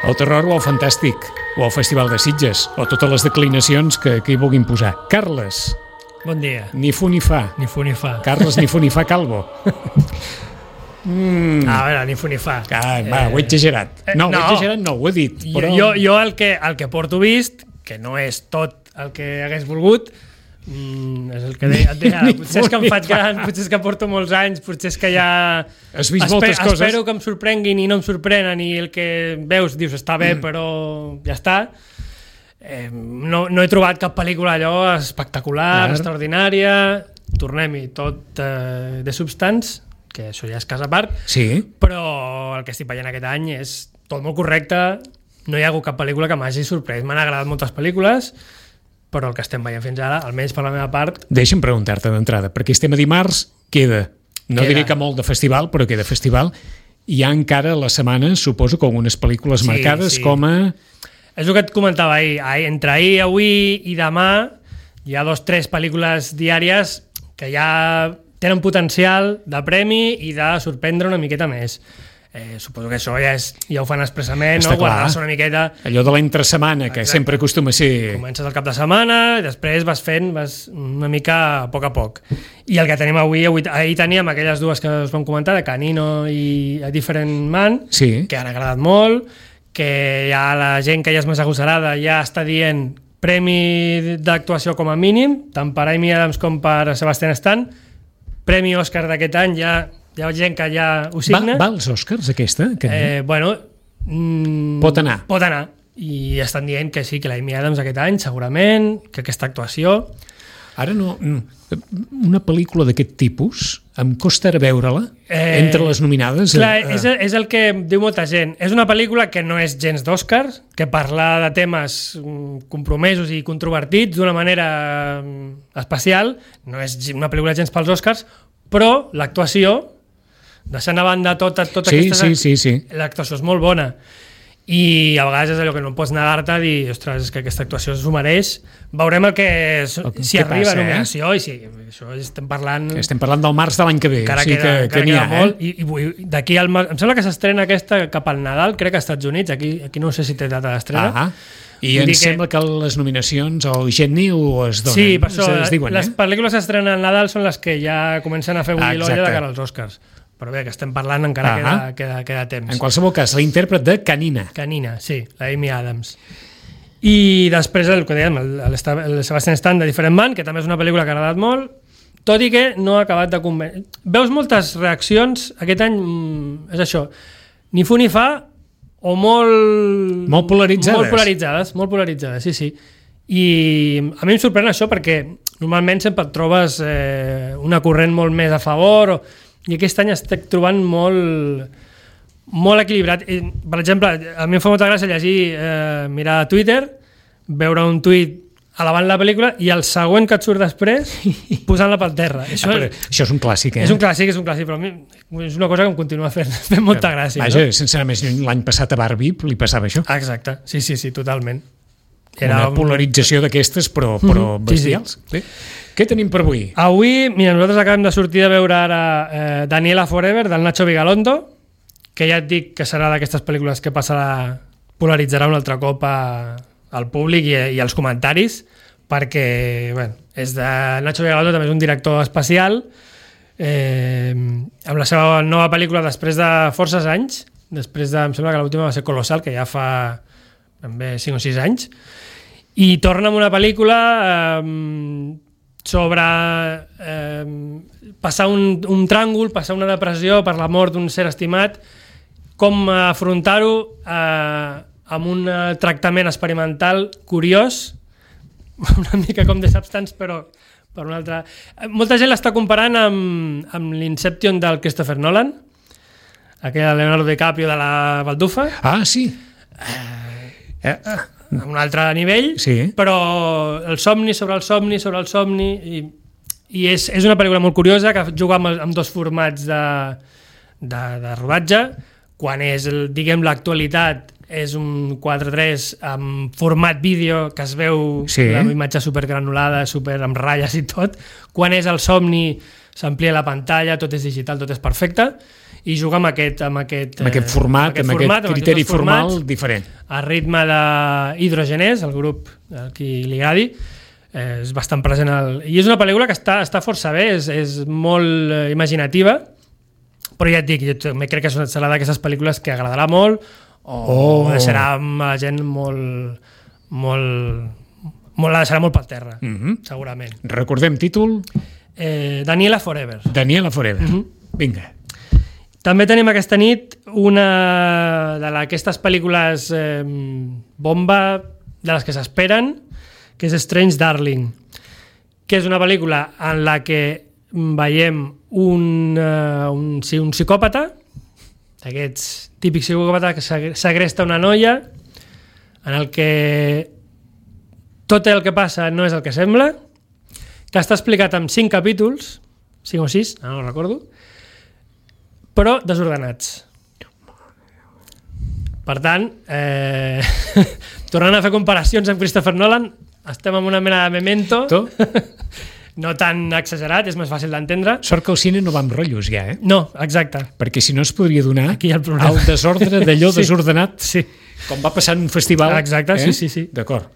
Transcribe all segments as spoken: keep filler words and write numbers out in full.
o el terror o el fantàstic, o el Festival de Sitges, o totes les declinacions que, que hi vulguin posar. Carles. Bon dia. Ni fu ni fa. Ni fu ni fa. Carles ni fu ni fa calvo. Mm. A veure, ni fu ni fa. Ah, va, eh... ho he exagerat. No, no, ho he exagerat no, ho he dit. Però... Jo, jo el, que, el que porto vist, que no és tot el que hagués volgut, Mm, és el que deia, et deia potser és que em faig gran, potser és que porto molts anys, potser és que ja has vist moltes coses, espero que em sorprenguin i no em sorprenen i el que veus dius està bé mm. però ja està. eh, no, no he trobat cap pel·lícula allò espectacular, Clar. extraordinària. Tornem-hi, tot eh, de Substance, que això ja és cas a part, sí. però el que estic veient aquest any és tot molt correcte. No hi ha hagut cap pel·lícula que m'hagi sorprès. M'han agradat moltes pel·lícules, però el que estem veient fins ara, almenys per la meva part... Deixa'm preguntar-te d'entrada, perquè estem a dimarts, queda, no queda. diré que molt de festival, però queda festival. Hi ha encara la setmana, suposo, com unes pel·lícules sí, marcades sí. com a... És el que et comentava ahir. ahir. Entre ahir, avui i demà hi ha dos tres pel·lícules diàries que ja tenen potencial de premi i de sorprendre una miqueta més. Eh, suposo que això ja, és, ja ho fan expressament, no? Guardar-se una miqueta... Allò de l'entre setmana, que Exacte. sempre acostuma a ser... Comences el cap de setmana, i després vas fent vas una mica a poc a poc. I el que tenim avui, avui ahir teníem aquelles dues que us vam comentar, de Canino i A Different Man, sí. que han agradat molt, que ja la gent que ja és més agosarada ja està dient premi d'actuació com a mínim, tant per Amy Adams com per Sebastian Stan, premi Òscar d'aquest any ja... Hi ha gent que ja ho signa. Va, va als Oscars, aquesta? Que... Eh, bueno... Mm, pot anar. Pot anar. I estan dient que sí, que l'Amy Adams aquest any, segurament, que aquesta actuació... Ara no... Una pel·lícula d'aquest tipus, em costa ara veure-la, eh, entre les nominades... Clar, eh, és, és el que diu molta gent. És una pel·lícula que no és gens d'Oscars, que parla de temes compromesos i controvertits d'una manera especial. No és una pel·lícula gens pels Oscars, però l'actuació... deixant a banda tota, tota sí, aquesta... Sí, sí, sí. L'actuació és molt bona. I a vegades és allò que no pots negar-te a dir, ostres, és que aquesta actuació s'ho mereix. Veurem el que... El, si arriba passa, a nominació, eh? I si això estem parlant... Que estem parlant del març de l'any que ve. Encara sí queda, que, que queda ha, molt. Eh? I, i d'aquí al març... Em sembla que s'estrena aquesta cap al Nadal, crec que als Estats Units. Aquí, aquí no sé si té data d'estrena. Ah, i em sembla que... que les nominacions al Genniu es donen. Sí, per això, es diuen, les eh? pel·lícules que s'estrenen al Nadal són les que ja comencen a fer bullir l'olla de cara als Oscars. Però bé, que estem parlant encara queda, queda, queda temps. En qualsevol cas, la intèrpret de Canina. Canina, sí, la Amy Adams. I després el que dèiem, el, el, el Sebastian Stan de Different Man, que també és una pel·lícula que ha agradat molt, tot i que no ha acabat de convèncer. Veus moltes reaccions, aquest any és això, ni fu ni fa, o molt... Molt polaritzades. Molt polaritzades, molt polaritzades, sí, sí. I a mi em sorprèn això perquè normalment sempre et trobes eh, una corrent molt més a favor o... I aquest any estic trobant molt, molt equilibrat. I, per exemple, a mi em fa molta gràcia llegir, eh, mirar a Twitter, veure un tuit alabant la pel·lícula i el següent que et surt després posant-la pel terra. Això, ah, és, això és un clàssic, eh? És un clàssic, és un clàssic, però a mi és una cosa que em continua fent, fent molta gràcia. Vaja, no? Sense anar més lluny, l'any passat a Barbie li passava això. Exacte, sí, sí, sí, totalment. Era una polarització d'aquestes, però, però mm-hmm. bestials. Sí, sí. Què tenim per avui? Avui, mira, nosaltres acabem de sortir de veure ara eh, Daniela Forever, del Nacho Vigalondo, que ja et dic que serà d'aquestes pel·lícules que passarà, polaritzarà un altre cop a, al públic i, i als comentaris, perquè, bueno, és de Nacho Vigalondo, també és un director especial, eh, amb la seva nova pel·lícula després de forces anys, després de, em sembla que l'última va ser Colossal, que ja fa també cinc o sis anys, i torna amb una pel·lícula eh, sobre eh, passar un, un tràngol, passar una depressió per la mort d'un ser estimat, com afrontar-ho eh, amb un tractament experimental curiós, una mica com The Substance, però per una altra... Molta gent l'està comparant amb, amb l'Inception del Christopher Nolan, aquella de Leonardo DiCaprio de la baldufa. Ah, sí. Eh, eh, eh. A un altre nivell, sí. Però el somni sobre el somni sobre el somni i, i és, és una pel·lícula molt curiosa que juga amb, amb dos formats de, de, de rodatge. Quan és, el, diguem, l'actualitat és un quatre tres amb format vídeo que es veu sí. La imatge supergranulada, super amb ratlles i tot. Quan és el somni s'amplia la pantalla, tot és digital, tot és perfecte. i juga amb aquest, amb aquest, amb aquest format, amb aquest, amb format, aquest criteri amb formats, formal diferent. A ritme d'Hidrogenés, el grup a qui li agradi, eh, és bastant present. El... I és una pel·lícula que està, està força bé, és, és molt eh, imaginativa, però ja et dic, jo també crec que serà d'aquestes pel·lícules que agradarà molt o oh. deixarà la gent molt... molt, molt la deixarà molt per terra, mm-hmm. segurament. Recordem títol? Eh, Daniela Forever. Daniela Forever. Mm-hmm. Vinga. També tenim aquesta nit una d'aquestes pel·lícules eh, bomba de les que s'esperen, que és Strange Darling, que és una pel·lícula en la que veiem un, uh, un, sí, un psicòpata, d'aquests típics psicòpata que segresta una noia, en el que tot el que passa no és el que sembla, que està explicat en cinc capítols, cinc o sis, no ho recordo, però desordenats. Per tant, eh, tornant a fer comparacions amb Christopher Nolan, estem en una mena de Memento, no tan exagerat, és més fàcil d'entendre. Sort que el cine no va amb rotllos ja, eh? No, exacte. Perquè si no es podria donar aquí el, el desordre d'allò sí. desordenat, sí. com va passar en un festival. Exacte, eh? sí, sí, sí. D'acord.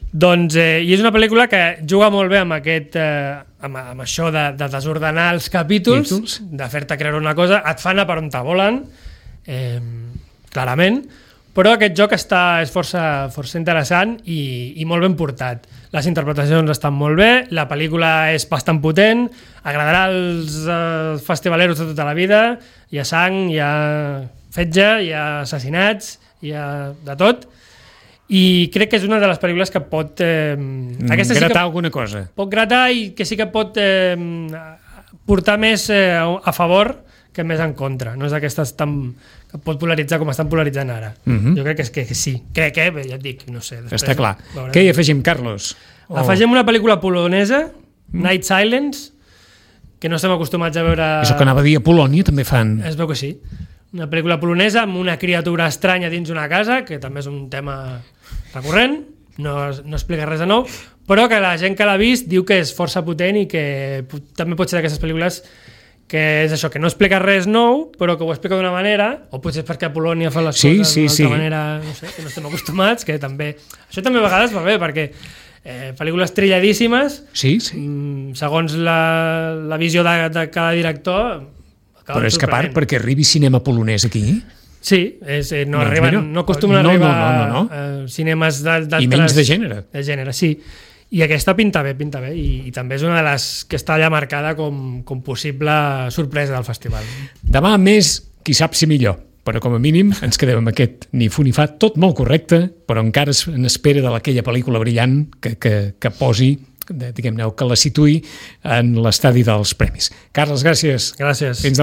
Doncs, eh, i és una pel·lícula que juga molt bé amb aquest, eh, amb, amb això de, de desordenar els capítols, Títols. de fer-te creure una cosa, et fa anar per on te volen, eh, clarament, però aquest joc està, és força, força interessant i, i molt ben portat. Les interpretacions estan molt bé, la pel·lícula és bastant potent, agradarà als eh, festivaleros de tota la vida, hi ha sang, hi ha fetge, hi ha assassinats, hi ha de tot, i crec que és una de les pel·lícules que pot eh, aquesta gratar sí que alguna cosa, pot gratar i que sí que pot eh, portar més eh, a favor que més en contra, no és d'aquestes tan, que pot polaritzar com estan polaritzant ara. Uh-huh. Jo crec que, és que, que sí, crec que, ja et dic, no sé, està clar. Què hi afegim, Carlos? Oh. Afegim una pel·lícula polonesa, mm. Night Silence, que no estem acostumats a veure. Això que anava a dir, a Polònia també fan. Es veu que sí. Una pel·lícula polonesa amb una criatura estranya dins una casa, que també és un tema recurrent, no, no explica res de nou, però que la gent que l'ha vist diu que és força potent i que també pot ser d'aquestes pel·lícules que és això, que no explica res nou, però que ho explica d'una manera, o potser és perquè a Polònia fan les sí, coses sí, d'una sí. altra manera, no sé, que no estem acostumats, que també... Això també a vegades va bé, perquè eh, pel·lícules trilladíssimes, sí, sí. Mm, segons la, la visió de, de cada director... Però és que a part, perquè arribi cinema polonès aquí... Sí, és, eh, no, no, arriben, mira, no acostumen no, a arribar no, no, no, no. a cinemes d'altres... I menys de gènere. De gènere, sí. I aquesta pinta bé, pinta bé, i, i també és una de les que està allà marcada com, com possible sorpresa del festival. Demà més, qui sap si millor, però com a mínim ens quedem amb aquest ni fu ni fa, tot molt correcte, però encara en espera d'aquella pel·lícula brillant que, que, que posi, diguem-ne, que la situï en l'estadi dels premis. Carles, gràcies. Gràcies. Fins